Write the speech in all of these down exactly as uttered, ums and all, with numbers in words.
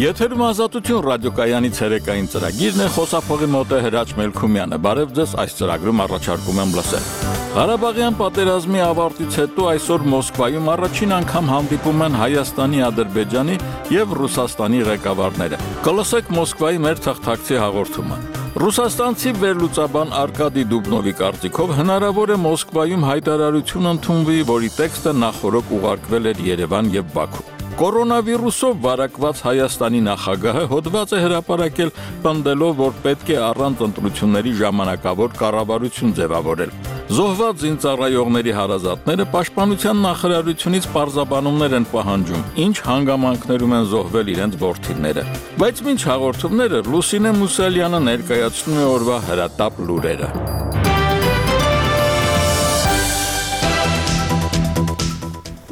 Եթերում Ազատություն ռադիոկայանի ցերեկային ծրագիրն է, խոսափողի մոտ է Հրաչ Մելքումյանը։ Բարև ձեզ, այս ծրագրում առաջարկում եմ լսել։ Ղարաբաղյան պատերազմի ավարտից հետո այսօր Մոսկվայում առաջին անգամ հանդիպում են Հայաստանի, Ադրբեջանի եւ Ռուսաստանի ղեկավարները։ Կլսեք Մոսկվայի մեր թղթակցի հաղորդումը։ Ռուսաստանցի վերլուծաբան Արկադի Դուբնովի կարծիքով հնարավոր է Մոսկվայում հայտարարություն ընդունվի, որի տեքստը նախօրոք ուղարկվել էր Երևան եւ Բաքու։ Կորոնավիրուսով վարակված Հայաստանի նախագահը հոդված է հրապարակել, պնդելով, որ պետք է առանց ընտրությունների ժամանակավոր կառավարություն ձևավորել։ Զոհված զինծառայողների հարազատները պաշտպանության նախարարությունից պարզաբանումներ են պահանջում, ինչ հանգամանքներում են զոհվել իրենց որդիները։ Բայց մինչ հաղորդումները Լուսինե Մուսալյանը ներկայացնում է օրվա հրատապ լուրերը։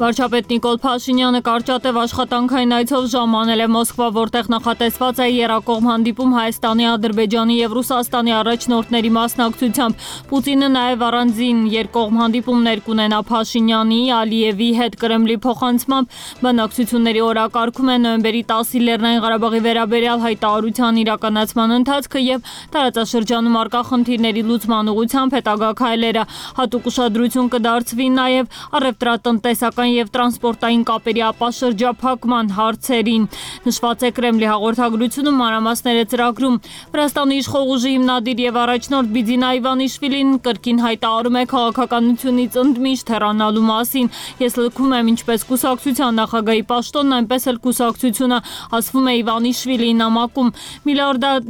Վարչապետ Նիկոլ Փաշինյանը կարճատև աշխատանքային այցով ժամանել է Մոսկվա, որտեղ նախատեսված է եռակողմ հանդիպում Հայաստանի, Ադրբեջանի եւ Ռուսաստանի առաջնորդների մասնակցությամբ։ Պուտինը նաեւ առանձին երկկողմ հանդիպումներ կունենա Փաշինյանի, Ալիևի հետ Կրեմլի փոխանցմամբ։ Բանակցությունների օրակարգում է նոյեմբերի տասը Լեռնային Ղարաբաղի վերաբերյալ հայտարարության իրականացման ընթացքը եւ տարածաշրջանում առկա խնդիրների լուծման ուղղությամբ հետագա քայլերը։ Հատուկ ուշադրություն կդարձվի նաեւ առևտրատնտեսական եւ տրանսպորտային կապերի ապաշրջափակման հարցերին։ Նշված է Կրեմլի հաղորդագրությունում, մանրամասներ է ծրագրում։ Վրաստանի իշխող ուժի հիմնադիր եւ առաջնորդ Բիձինա Իվանիշվիլին կրկին հայտարարում է քաղաքականությունից ընդմիշտ հեռանալու մասին։ Ես լքում եմ ինչպես կուսակցության նախագահի պաշտոնն, այնպես էլ կուսակցությունը, ասվում է Իվանիշվիլիի նամակում։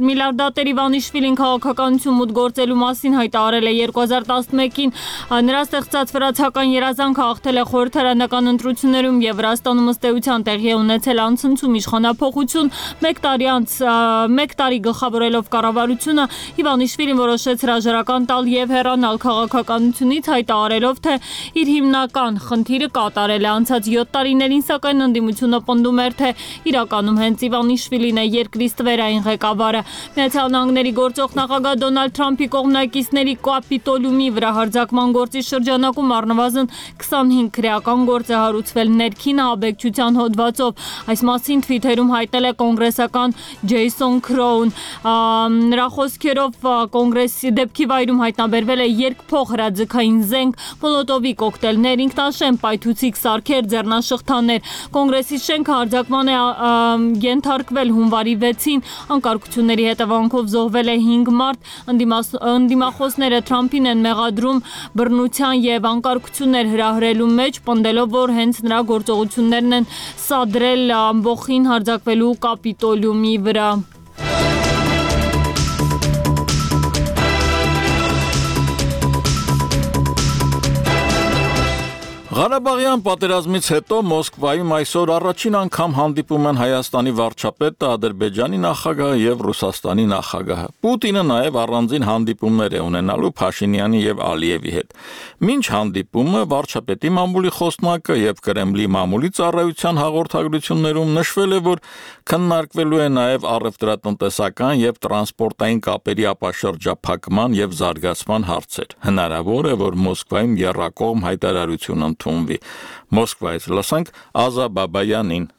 Միլիարդատեր Իվանիշվիլին քաղաքականություն մուտք գործելու մասին հայտարարել է երկու հազար տասնմեկին։ Նրա ստեղծած վրացական երազանքը հաղթել է խորհրդարանական ընտրություններում եւ Վրաստանում ըստ էության տեղի է ունեցել անցնցում իշխանափոխություն։ Մեկ տարի անց մեկ տարի գլխավորելով կառավարությունը Իվանիշվիլին որոշեց հրաժարական տալ եւ հեռանալ քաղաքականությունից, հայտարարելով, թե իր հիմնական խնդիրը կատարել է։ Անցած յոթ տարիներին սակայն ընդդիմությունը պնդում էր, թե իրականում հենց Իվանիշվիլին է երկրի ստվերային ղեկավարը։ Միացյալ Նահանգների գործող նախագահ Դոնալդ Թրամփի կողմնակիցների կապիտոլիումի վրա հարձակման գործի շրջանակում առնվազն քսանհինգ քրեական գործ է հարուցվել ներքին ահաբեկչության հոդվածով։ Այս մասին Twitter-ում հայտնել է կոնգրեսական Ջեյսոն Քրոուն։ Նրա խոսքերով կոնգրեսի դեպքի վայրում հայտնաբերվել է երկփող հրաձգային զենք, մոլոտովի կոկտեյլներ, ինքնաշեն պայթուցիկ սարքեր, ձեռնաշղթաներ։ Կոնգրեսի շենքը հարձակման է ենթարկվել հունվարի վեցին։ Անկարգությունների հետևանքով զոհվել է հինգ մարդ։ Ընդդիմախոսները Թրամփին են մեղադրում բռնության եւ անկարգություններ հրահրելու մեջ, պնդելով, որ հենց նրա գործողություններն են սադրել ամբողջին հարձակվելու կապիտոլիումի վրա։ Ղարաբաղյան պատերազմից հետո Մոսկվայում այսօր առաջին անգամ հանդիպում են Հայաստանի վարչապետը, Ադրբեջանի նախագահը եւ Ռուսաստանի նախագահը։ Պուտինը նաեւ առանձին հանդիպումներ է ունենալու Փաշինյանի եւ Ալիևի հետ։ Մինչ հանդիպումը վարչապետի մամուլի խոսնակը եւ Կրեմլի մամուլի ծառայության հաղորդագրություններում նշվել է, որ քննարկվելու է նաեւ առևտրատնտեսական եւ տրանսպորտային կապերի ապաշրջափակման եւ զարգացման հարցեր։ Հնարավոր է, որ Մոսկվայում եռակողմ հայտարարություն ընդունվի։ Մոսկվայից լսենք Ազա Բաբայանին։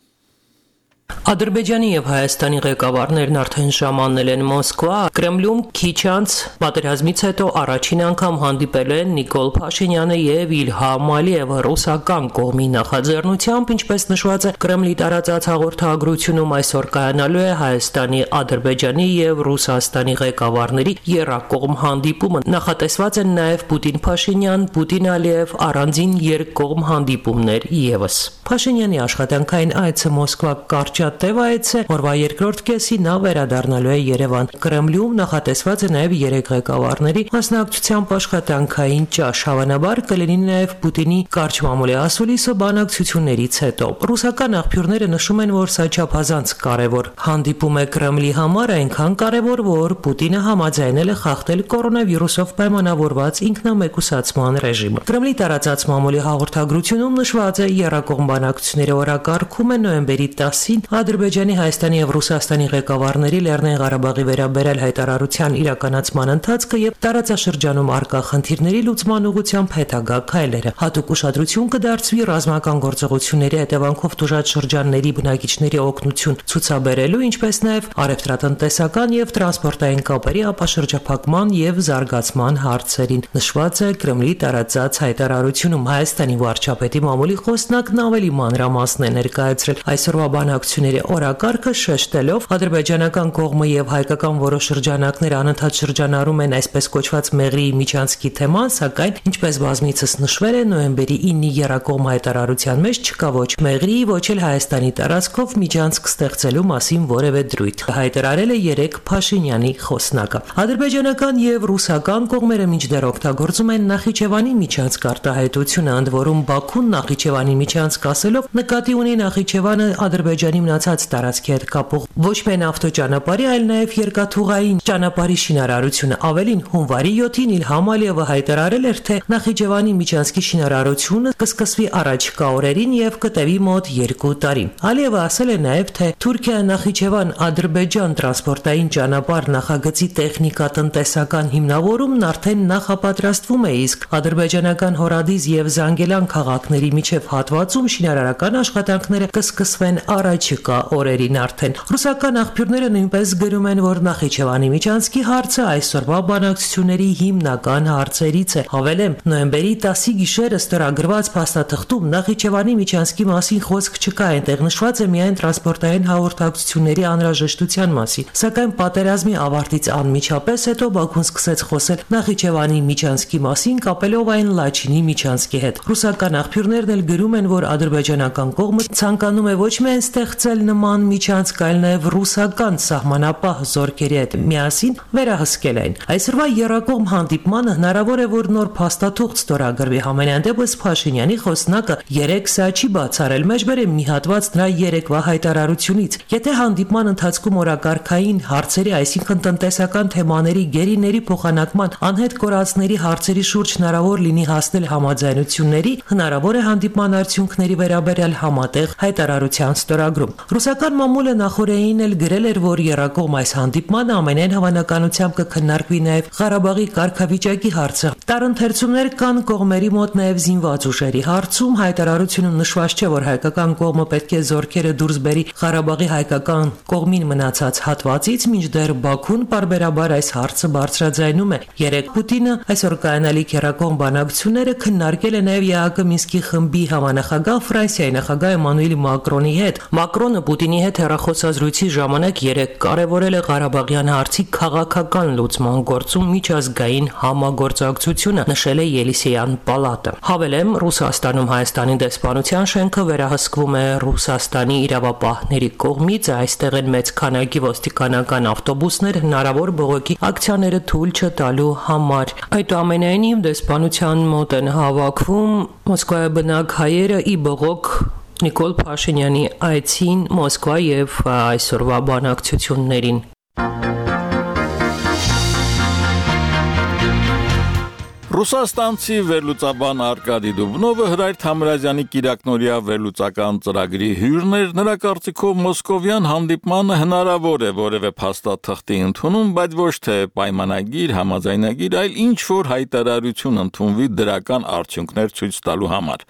Ադրբեջանի եւ Հայաստանի ղեկավարներն արդեն ժամանել են Մոսկվա։ Կրեմլում քիչ անց պատերազմից հետո առաջին անգամ հանդիպել են Նիկոլ Փաշինյանը եւ Իլհամ Ալիևը ռուսական կողմի նախաձեռնությամբ, ինչպես նշված է Կրեմլի տարածած հաղորդագրությունում, այսօր կայանալու է Հայաստանի, Ադրբեջանի եւ Ռուսաստանի ղեկավարների եռակողմ հանդիպումը։ Նախատեսված են նաեւ Պուտին-Փաշինյան, Պուտին-Ալիև առանձին երկկողմ հանդիպումներ եւս։ Փաշինյանի աշխատանքային այցը Մոսկվա կարճ Տև այց է, որվա երկրորդ կեսի նա վերադառնալու է Երևան։ Կրեմլում նախատեսված է նաև երեք ղեկավարների մասնակցությամբ աշխատանքային ճաշ, հավանաբար կլինի նաև Պուտինի կարճ մամուլի ասուլիսը բանակցություններից հետո։ Ռուսական աղբյուրները նշում են, որ սա չափազանց կարևոր հանդիպում է Կրեմլի համար, այնքան կարևոր, որ Պուտինը համաձայնել է խախտել կորոնավիրուսով պայմանավորված ինքնամեկուսացման ռեժիմը։ Կրեմլի տարածած մամուլի հաղորդագրությունում նշված է եռակողմ բանակցությունների օրակարգում է նոյեմբերի տասին Ադրբեջանի, Հայաստանի եւ Ռուսաստանի ղեկավարների Լեռնային Ղարաբաղի վերաբերյալ հայտարարության իրականացման ընթացքը եւ տարածաշրջանում առկա խնդիրների լուծման ուղղությամբ հետագա քայլերը։ Հատուկ ուշադրություն կդարձվի ռազմական գործողությունների հետևանքով տուժած շրջանների բնակիչների օգնություն ցուցաբերելու, ինչպես նաեւ առևտրատնտեսական եւ տրանսպորտային կապերի ապաշրջափակման եւ զարգացման հարցերին։ Նշված է Կրեմլի տարածած հայտարարությունում Հայաստանի վարչապետի մամուլի խոսնակն ավելի մանրամասն է ներկայացրել այսօրվա բանակցությունների օրակարգը, շեշտելով ադրբեջանական կողմը եւ հայկական որոշ շրջանակներ անընդհատ շրջանառում են այսպես կոչված Մեղրիի միջանցքի թեման, սակայն ինչպես բազմիցս նշվել է նոյեմբերի ինի եռակողմ հայտարարության մեջ չկա ոչ Մեղրիի, ոչ էլ Հայաստանի տարածքով միջանցք ստեղծելու մասին որևէ դրույթ։ Հայտարարել է երեք Փաշինյանի խոսնակը։ Ադրբեջանական եւ ռուսական կողմերը մինչդեռ օգտագործում են Նախիջևանի միջանցք արտահայտությունը, ընդ որում Բաքուն Նախիջևանի միջանցք ասելով նկատի ունի Նախիջևանը Ադրբեջանի մնացած տարածքի հետ կապող ոչ միայն ավտոճանապարհի, այլ նաեւ երկաթուղային ճանապարհի շինարարությունը։ Ավելին, հունվարի յոթին Իլհամ Ալիևը հայտարարել էր, թե Նախիջևանի միջանցքի շինարարությունը կսկսվի առաջիկա օրերին եւ կտևի մոտ երկու տարի։ Ալիևը ասել է նաեւ, թե Թուրքիա-Նախիջևան-Ադրբեջան տրանսպորտային ճանապարհ նախագծի տեխնիկա-տնտեսական հիմնավորումն արդեն նախապատրաստվում է, իսկ ադրբեջանական Հորադիզ եւ Զանգելան քաղաքների միջև հատվածում շինարարական աշխատանքները կսկսվեն առաջիկա օրերին արդեն։ Ռուսական աղբյուրները նույնպես գրում են, որ Նախիջևանի միջանցքի հարցը այսօրվա բանակցությունների հիմնական հարցերից է։ Հավելեմ, նոյեմբերի տասի գիշերը ստորագրված փաստաթղթում Նախիջևանի միջանցքի մասին խոսք չկա, այնտեղ նշված է միայն տրանսպորտային հաղորդակցությունների անհրաժեշտության մասին։ Սակայն պատերազմի ավարտից անմիջապես հետո Բաքուն սկսեց խոսել Նախիջևանի միջանցքի մասին, կապելով այն Լաչինի միջանցքի հետ։ Ռուսական աղբյուրներն էլ գրում են, որ ադրբեջանական կողմը ցանկանում է ոչ միայն ստեղծել նման միջանցք, այլ նաև ռուսական սահմանապահ զորքերի հետ միասին վերահսկել այն։ Այսօրվա եռակողմ հանդիպմանը հնարավոր է, որ նոր փաստաթուղթ ստորագրվի։ Համենայն դեպս Փաշինյանի խոսնակը երեք սա չի բացառել, մեջբեր է մի հատված նրա երեկվա հայտարարությունից։ Եթե հանդիպման ընթացքում օրակարգային հարցերի, այսինքն տնտեսական թեմաների, գերիների փոխանակման, անհետ կորածների հարցերի շուրջ հնարավոր լինի հասնել համաձայնությունների, հնարավոր է հանդիպման արդյունքների վերաբերյալ համատեղ հայտարարության ստորագրում։ Ռուսական մամուլը նախորդին էլ գրել էր, որ եռակողմ այս հանդիպմանը ամենայն հավանականությամբ կքննարկվի նաև Ղարաբաղի կարգավիճակի հարցը։ Տարընթերցումներ կան կողմերի մոտ նաև զինված ուժերի հարցում։ Հայտարարությունում նշված չէ, որ հայկական կողմը պետք է զորքերը դուրս բերի Ղարաբաղի հայկական կողմին մնացած հատվածից, մինչդեռ Բաքուն պարբերաբար այս հարցը բարձրաձայնում է։ Երեք Պուտինը այսօր կայանալիք եռակողմ բանակցությունները քննարկել է նաև ԵԱՀԿ Մինսկի խմբի համանախագահ Ֆրանսիայի նախագահ Էմանուել Մակրոնի հետ։ Մակրոնը Պուտինի հետ հեռախոսազրույցի ժամանակ երեք կարևորել է Ղարաբաղյան հարցի քաղաքական լուծման գործում միջազգային համագործակցությունը, նշել է Ելիսեյան պալատը։ Հավելեմ, Ռուսաստանում Հայաստանի դեսպանության շենքը վերահսկվում է Ռուսաստանի իրավապահների կողմից, այստեղ են մեծ քանակի ոստիկանական ավտոբուսներ հնարավոր բողոքի ակցիաները թույլ չտալու համար։ Այդուամենայնիվ դեսպանության մոտ են հավաքվում Մոսկվայի բնակ հայերը ի բողոք Նիկոլ Փաշինյանի այցին Մոսկվա եւ այսօրվա բանակցություններին։ Ռուսաստանցի վերլուծաբան Արկադի Դուբնովը Հրայր Թամրազյանի կիրակնօրյա վերլուծական ծրագրի հյուրն էր։ Նրա կարծիքով մոսկովյան հանդիպմանը հնարավոր է որևէ փաստաթղթի ընդունում, բայց ոչ թե պայմանագիր, համաձայնագիր, այլ ինչ-որ հայտարարություն ընդունվի դրական արդյունքներ ցույց տալու համար։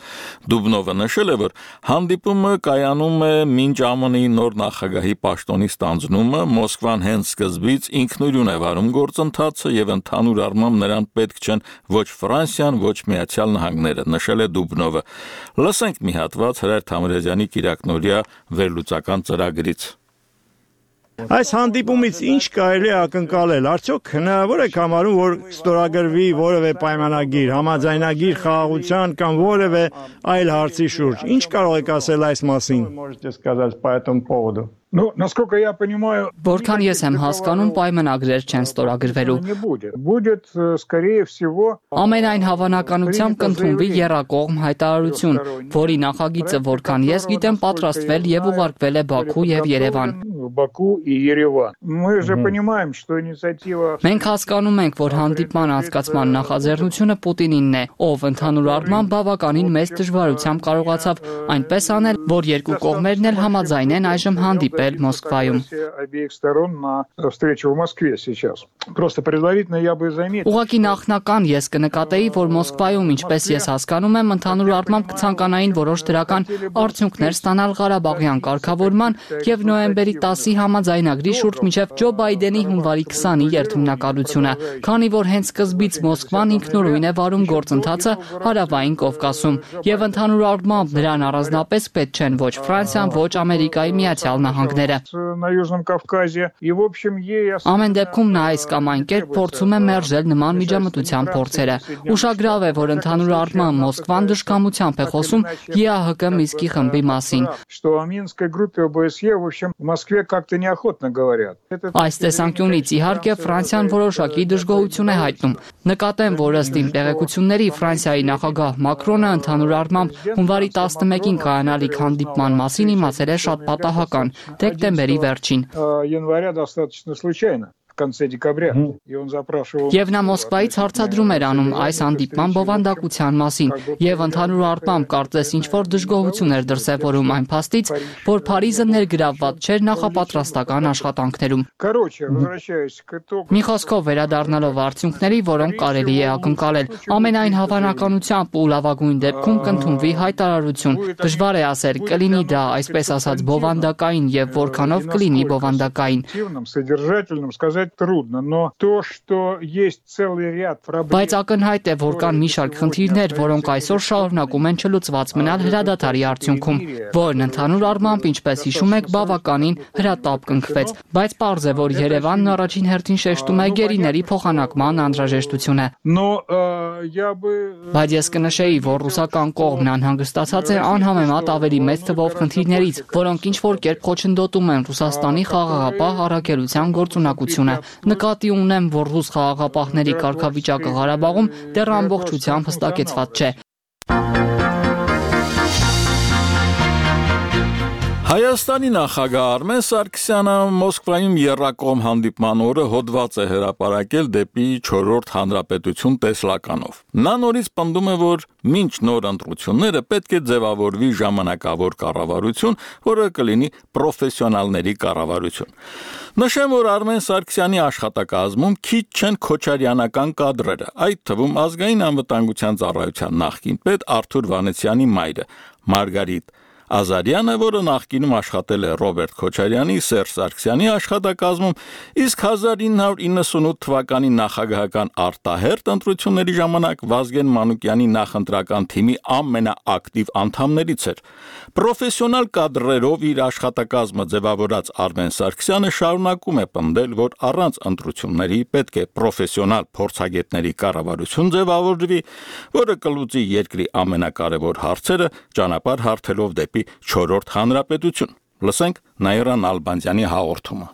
Դուբնովը նշել է, որ հանդիպումը կայանում է մինչ ԱՄՆ-ի նոր նախագահի պաշտոնի ստանձնումը, Մոսկվան հենց սկզբից ինքնուրույն է վարում գործընթացը եւ ընդհանուր առմամբ նրան պետք չեն ոչ Ֆրանսիան, ոչ Միացյալ Նահանգները, նշել է Դուբնովը։ Լսենք մի հատված Հրայր Թամրազյանի կիրակնօրյա վերլուծական ծրագրից։ Այս հանդիպումից ինչ կարելի է ակնկալել, արդյոք հնարավոր է համարում, որ ստորագրվի որևէ պայմանագիր, համաձայնագիր խաղաղության կամ որևէ այլ հարցի շուրջ։ Ինչ կարող եք ասել այս մասին։ Ну, насколько я понимаю, Որքան ես եմ հասկանում, պայմանագրեր չեն ստորագրվելու։ Будет, скорее всего, Ամենայն հավանականությամբ կընդունվի եռակողմ հայտարարություն, որի նախագիծը, որքան ես գիտեմ, պատրաստվել եւ ուղարկվել է Բաքու եւ Երևան։ Баку и Ереван. Мы же понимаем, что инициатива... Մենք հասկանում ենք, որ հանդիպման անցկացման նախաձեռնությունը Պուտինինն է, ով ընդհանուր առմամբ բավականին մեծ դժվարությամբ կարողացավ այնպես անել, որ երկու կողմերն էլ համաձայնեն այժմ հանդիպել Մոսկվայում։ Обеих сторон на встречу в Москве сейчас. Просто предварительно я бы заметил. Ուղղակի նախնական ես կնկատեի, որ Մոսկվայում, ինչպես ես հասկանում եմ, ընդհանուր առմամբ կցանկանային որոշ դրական արդյունքներ ստանալ Ղարաբաղյան կարգավորման եւ նոյեմբերի տասի համաձայնագրի շուրջ մինչեւ Ջո Բայդենի հունվարի քսանի երթմնակալությունը, քանի որ հենց սկզբից Մոսկվան ինքնուրույն է վարում գործընթացը Հարավային Կովկասում եւ ընդհանուր առմամբ նրան առանձնապես պետք չեն ոչ Ֆրանսիան, ոչ Ամերիկայի Միացյալ Նահանգները։ На Южном Кавказе. И в общем ей... Ամեն դեպքում նա այս կամ այն կերպ փորձում է մերժել նման միջամտության փորձերը։ Ուշագրավ է, որ ընդհանուր առմամբ Մոսկվան դժկամությամբ է խոսում Է Ա Հ Կ Մինսկի խմբի մասին։ Что о Минской группе О Б С Е, в общем, в Москве как-то неохотно говорят. Այս տեսանկյունից իհարկե Ֆրանսիան որոշակի դժգոհություն է հայտնում։ Նկատեմ, որ ըստ իմ տեղեկությունների Ֆրանսիայի նախագահ Մակրոնը ընդհանուր առմամբ հունվարի տասնմեկին կայանալիք հանդիպման մասին իմացել է շատ պատահական, դեկտեմբերի վերջին։ Января достаточно случайно. В конце декабря. И он запрашивал... Եվ նա Մոսկվայից հարցադրում էր անում այս հանդիպման բովանդակության մասին եւ ընդհանուր առմամբ կարծես ինչ-որ դժգոհություն էր դրսեւորում այն փաստից, որ Փարիզը ներգրավված չէր նախապատրաստական աշխատանքներում։ Короче, возвращаясь к итогу... Մի խոսքով վերադառնալով արդյունքների, որոնք կարելի է ակնկալել, ամենայն հավանականությամբ ու լավագույն դեպքում կընդունվի հայտարարություն։ Դժվար է ասել, կլինի դա այսպես ասած բովանդակային եւ որքանով կլինի բովանդակային։ Содержательным сказать трудно, но то, что есть целый ряд проблем... Բայց ակնհայտ է, որ կան մի շարք խնդիրներ, որոնք այսօր շարունակում են չլուծված մնալ հրադադարի արդյունքում, որն ընդհանուր առմամբ, ինչպես հիշում եք, բավականին հրատապ կնքվեց, բայց պարզ է, որ Երևանն առաջին հերթին շեշտում է գերիների փոխանակման անհրաժեշտությունը։ Но я бы... Բայց ես կնշեի, որ ռուսական կողմն անհանգստացած է անհամեմատ ավելի մեծ թվով խնդիրներից, որոնք ինչ-որ կերպ խոչընդոտում են Ռուսաստանի խաղաղապահ առաքելության գործունակությունը։ Նկատի ունեմ, որ ռուս խաղաղապահների կարգավիճակը Ղարաբաղում դեռ ամբողջությամբ հստակեցված չէ։ Հայաստանի նախագահ Արմեն Սարգսյանը Մոսկվայում եռակողմ հանդիպման օրը հոդված է հրապարակել դեպի չորրորդ հանրապետություն տեսլականով։ Նա նորից պնդում է, որ մինչ նոր ընտրությունները պետք է ձևավորվի ժամանակավոր կառավարություն, որը կլինի պրոֆեսիոնալների կառավարություն։ Նշեմ, որ Արմեն Սարգսյանի աշխատակազմում քիչ չեն քոչարյանական կադրերը, այդ թվում ազգային անվտանգության ծառայության նախկին պետ Արթուր Վանեցյանի մայրը Մարգարիտ Ազարյանը, որը նախկինում աշխատել է Ռոբերտ Քոչարյանի, Սերժ Սարգսյանի աշխատակազմում, իսկ հազար ինը հարյուր իննսունութ թվականի նախագահական արտահերթ ընտրությունների ժամանակ Վազգեն Մանուկյանի նախընտրական թիմի ամենաակտիվ անդամներից էր։ Պրոֆեսիոնալ կադրերով իր աշխատակազմը ձևավորած Արմեն Սարգսյանը շարունակում է պնդել, որ առանց ընտրությունների պետք է պրոֆեսիոնալ փորձագետների կառավարություն ձևավորվի, որը կլուծի երկրի ամենակարևոր հարցերը, ճանապարհ հարթելով դեպի չորրորդ հանրապետություն։ Լսենք Նաիրա Նալբանդյանի հաղորդումը։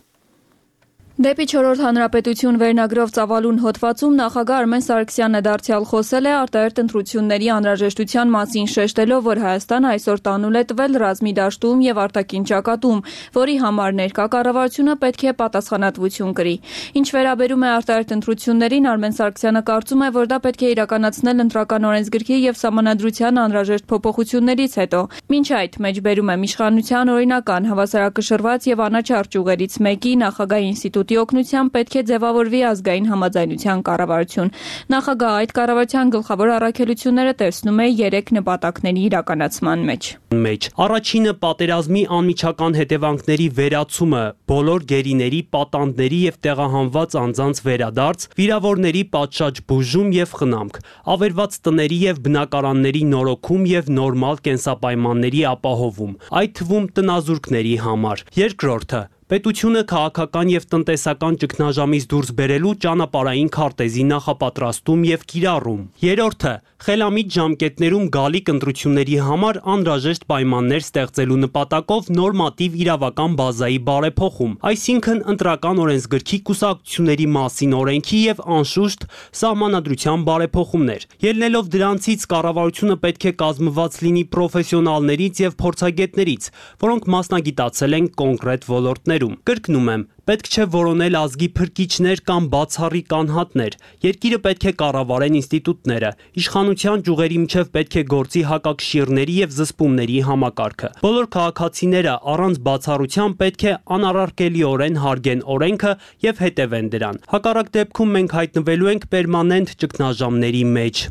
Դեպի չորրորդ հանրապետություն վերնագրով ծավալուն հոդվածում նախագահ Արմեն Սարգսյանը դարձյալ խոսել է արտահերթ ընտրությունների անհրաժեշտության մասին, շեշտելով, որ Հայաստանը այսօր տանուլ է տվել ռազմի դաշտում եւ արտաքին ճակատում, որի համար ներկա կառավարությունը պետք է պատասխանատվություն կրի։ Ինչ վերաբերում է արտահերթ ընտրություններին, Արմեն Սարգսյանը կարծում է, որ դա պետք է իրականացնել ընտրական օրենսգրքի եւ սահմանադրության անհրաժեշտ փոփոխություններից հետո։ Մինչ այդ մեջբերում եմ իշխանության օրինական հավասարակշռված եւ անաչառ ճյուղերից մեկի նախագահի ինստիտուտի օգնությամբ պետք է ձևավորվի ազգային համաձայնության կառավարություն։ Նախագահը այդ կառավարության գլխավոր առաքելությունները տեսնում է երեք նպատակների իրականացման մեջ։ Մեջ առաջինը պատերազմի անմիջական հետևանքների վերացումը, բոլոր գերիների, պատանդների եւ տեղահանված անձանց վերադարձ, վիրավորների պատշաճ բուժում եւ խնամք, ավերված տների եւ բնակարանների նորոգում եւ նորմալ կենսապայմանների ապահովում, այդ թվում տնազուրկների համար։ Երկրորդը պետությունը քաղաքական եւ տնտեսական ճգնաժամից դուրս բերելու ճանապարհային քարտեզի նախապատրաստում եւ կիրառում։ Երրորդը խելամիտ ժամկետներում գալիք ընտրությունների համար անհրաժեշտ պայմաններ ստեղծելու նպատակով նորմատիվ իրավական բազայի բարեփոխում, այսինքն ընտրական օրենսգրքի կուսակցությունների մասին օրենքի եւ անշուշտ սահմանադրության բարեփոխումներ։ Ելնելով դրանցից կառավարությունը պետք է կազմված լինի պրոֆեսիոնալներից եւ փորձագետներից, որոնք մասնագիտացել են կոնկրետ ոլորտներում։ ճյուղերում։ Կրկնում եմ, պետք չէ որոնել ազգի փրկիչներ կամ բացառիկ անհատներ։ Երկիրը պետք է կառավարեն ինստիտուտները։ Իշխանության ճյուղերի միջև պետք է գործի հակակշիռների եւ զսպումների համակարգը։ Բոլոր քաղաքացիները առանց բացառության պետք է անառարկելիորեն հարգեն օրենքը եւ հետևեն դրան։ Հակառակ դեպքում մենք հայտնվելու ենք պերմանենտ ճգնաժամերի մեջ։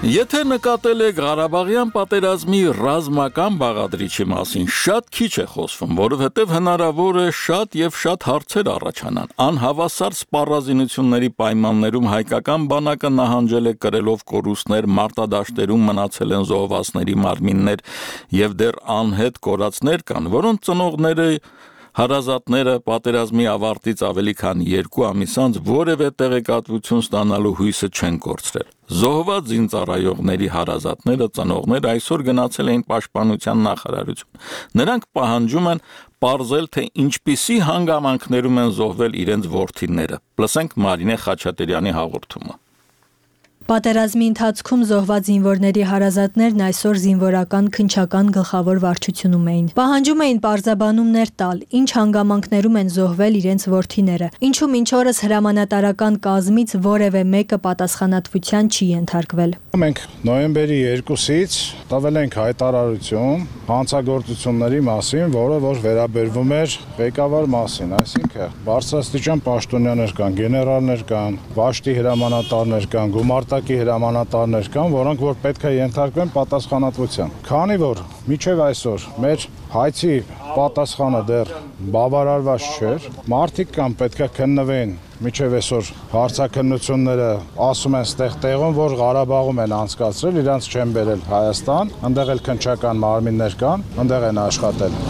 Եթե նկատել եք Ղարաբաղյան պատերազմի ռազմական բաղադրիչի մասին, շատ քիչ է խոսվում, որովհետև հնարավոր է շատ եւ շատ հարցեր առաջանան։ Անհավասար սպառազինությունների պայմաններում հայկական բանակը նահանջել է կրելով կորուստներ, մարտադաշտերում մնացել են զոհվածների մարմիններ եւ դեռ անհետ կորածներ կան, որոնց ծնողները հարազատները պատերազմի ավարտից ավելի քան երկու ամիս անց որևէ տեղեկատվություն ստանալու հույսը չեն կորցրել։ Զոհված զինծառայողների հարազատները, ծնողները այսօր գնացել էին պաշտպանության նախարարություն։ Նրանք պահանջում են պարզել, թե ինչպիսի հանգամանքներում են զոհվել իրենց որդիները։ Լսենք Մարինե Խաչատրյանի հաղորդումը։ Պատերազմի ընթացքում զոհված զինվորների հարազատներն այսօր զինվորական քննչական գլխավոր վարչությունում էին։ Պահանջում էին պարզաբանումներ տալ, ինչ հանգամանքներում են զոհվել իրենց որդիները, ինչու մինչ օրս հրամանատարական կազմից որևէ մեկը պատասխանատվության չի ենթարկվել։ Մենք նոյեմբերի երկուսից տվել ենք հայտարարություն հանցագործությունների մասին, որը որ վերաբերվում էր ղեկավար մասին, այսինքն բարձրաստիճան պաշտոնյաներ կան, գեներալներ կան, վաշտի հրամանատարներ կան, գումարտակի հրամանատարներ կան, որոնք որ պետք է ենթարկվեն պատասխանատվության։ Քանի որ մինչև այսօր մեր հայցի պատասխանը դեռ բավարարված չէր, մարդիկ կան պետք է քննվեն մինչև այսօր հարցաքննությունները ասում են ստեղ տեղում, որ Ղարաբաղում են անցկացրել, իրանց չեն բերել Հայաստան, այնտեղ էլ քննչական մարմիններ կան, այնտեղ են աշխատել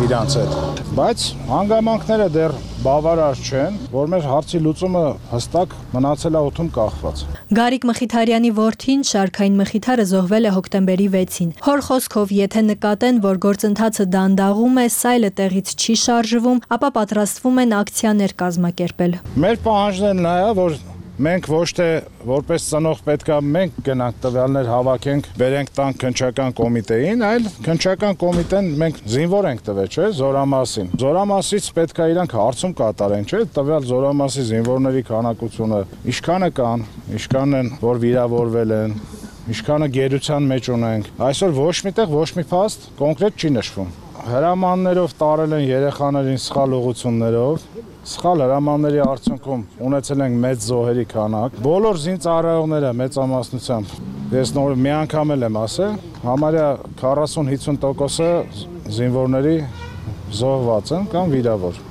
իրանց հետ։ Բայց հանգամանքները դեռ բավարար չեն, որ մեր հարցի լուծումը հստակ մնացել է օդում կախված։ Գարիկ Մխիթարյանի որդին Շարքային Մխիթարը զոհվել է հոկտեմբերի վեցին։ Հոր խոսքով, եթե նկատեն, որ գործընթացը դանդաղում է, սայլը տեղից չի շարժվում, ապա պատրաստվում են ակցիաներ կազմակերպել։ Մեր պահանջն նա է, որ մենք ոչ թե որպես ծնող պետքա մենք գնանք տվյալներ հավաքենք, բերենք տանք քննչական կոմիտեին, այլ քննչական կոմիտեն մենք զինվոր ենք տվել, չէ, զորամասին։ Զորամասից պետքա իրանք հարցում կատարեն, չէ, տվյալ զորամասի զինվորների քանակությունը, ինչքանը կան, ինչքան են, որ վիրավորվել են, ինչքանը գերության մեջ ունենք։ Այսօր ոչ միտեղ ոչ մի փաստ կոնկրետ չի նշվում։ Հրամաններով տարել են երեխաներին սխալ ուղղություններով, սխալ հրամանների արդյունքում ունեցել ենք մեծ զոհերի քանակ։ Բոլոր զինծառայողները մեծամասնությամբ, ես նոր մի անգամ եմ ասել, համարյա քառասուն-հիսուն տոկոսը զինվորների զոհված են կամ վիրավոր։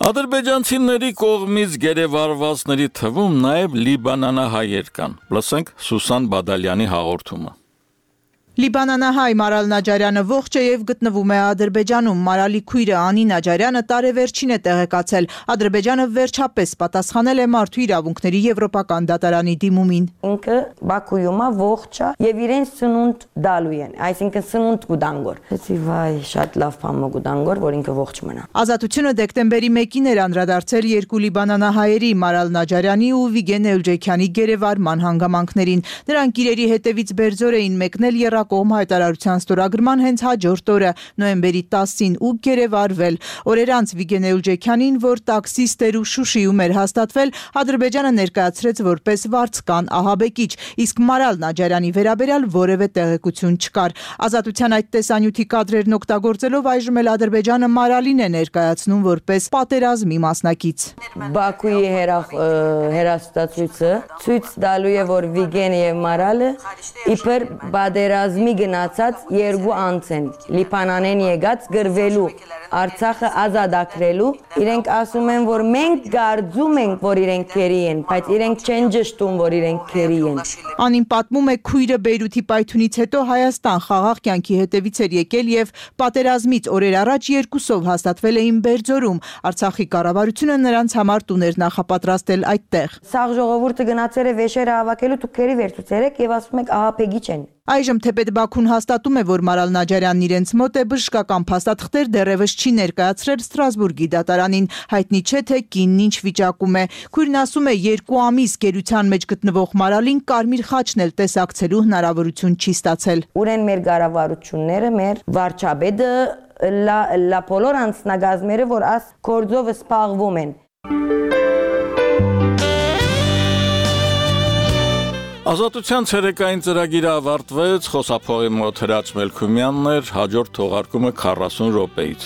Ադրբեջանցիների կողմից գերեվարվածների թվում նաև լիբանանահայեր կան։ Լսենք Սուսան Բադալյանի հաղորդումը։ Լիբանանահայ Մարալ Նաջարյանը ողջ է եւ գտնվում է Ադրբեջանում։ Մարալի քույրը Անի Նաջարյանը տարեվերջին է տեղեկացել։ Ադրբեջանը վերջապես պատասխանել է մարդու իրավունքների եվրոպական դատարանի դիմումին։ Ինքը Բաքուում է ողջ է եւ իրեն սնունդ դալու են, այսինքն սնունդ գուդանգոր։ Էսի վայ, շատ լավ բան գուդանգոր, որ ինքը ողջ մնա։ Ազատությունը դեկտեմբերի մեկին էր անդրադարձել երկու լիբանանահայերի Մարալ Նաջարյանի ու Վիգեն Էլջեքյանի գերեվարման հանգամանքներին։ Նրանք իրերի հետևից բերձոր էին մեկնել եռ կողմ հայտարարության ստորագրման հենց հաջորդ օրը նոյեմբերի տասին ու գերեվարվել։ Օրեր անց Վիգեն Էլջեքյանին, որ տաքսիստ էր ու Շուշիում էր հաստատվել, Ադրբեջանը ներկայացրեց որպես վարձկան ահաբեկիչ, իսկ Մարալ Նաջարյանի վերաբերյալ որևէ տեղեկություն չկար։ Ազատության այդ տեսանյութի կադրերն օգտագործելով այժմ էլ Ադրբեջանը Մարալին է ներկայացնում որպես պատերազմի մասնակից։ Բաքուի հերաստացույցը ցույց տալու է, որ Վիգենը եւ Մարալը իբր պատերազմի գնացած երկու անձ են, Լիբանանեն եկած գրվելու, Արցախը ազատագրելու, իրենք ասում են, որ մենք կարծում ենք, որ իրենք քերի են, բայց իրենք չեն ճշտում, որ իրենք քերի են։ Անին պատմում է քույրը Բեյրութի պայթունից հետո Հայաստան խաղաղ կյանքի հետևից էր եկել եւ պատերազմից օրեր առաջ երկուսով հաստատվել էին Բերձորում։ Արցախի կառավարությունը նրանց համար տուներ նախապատրաստել այդտեղ։ Սաղ ժողովուրդը գնացել է վեշերը հավաքելու, դուք քերի վերցուցերեք եւ ասում եք ահաբեկիչ են։ Այժմ թեպետ Բաքուն հաստատում է, որ Մարալ Նաջարյանն իրենց մոտ է, բժշկական փաստաթղթեր դեռևս չի ներկայացրել Ստրասբուրգի դատարանին, հայտնի չէ թե կինն ինչ վիճակում է։ Քույրն ասում է, երկու ամիս գերության մեջ գտնվող Մարալին կարմիր խաչն էլ տեսակցելու հնարավորություն չի ստացել։ Ուրեն մեր կառավարությունները, մեր վարչապետը, լա լա բոլոր անձնագազմերը, որ աս գործով զբաղվում են։ Ազատության ցերեկային ծրագիրը ավարտվեց, խոսափողի մոտ Հրաչ Մելքումյանն էր, հաջորդ թողարկումը քառասուն րոպեից։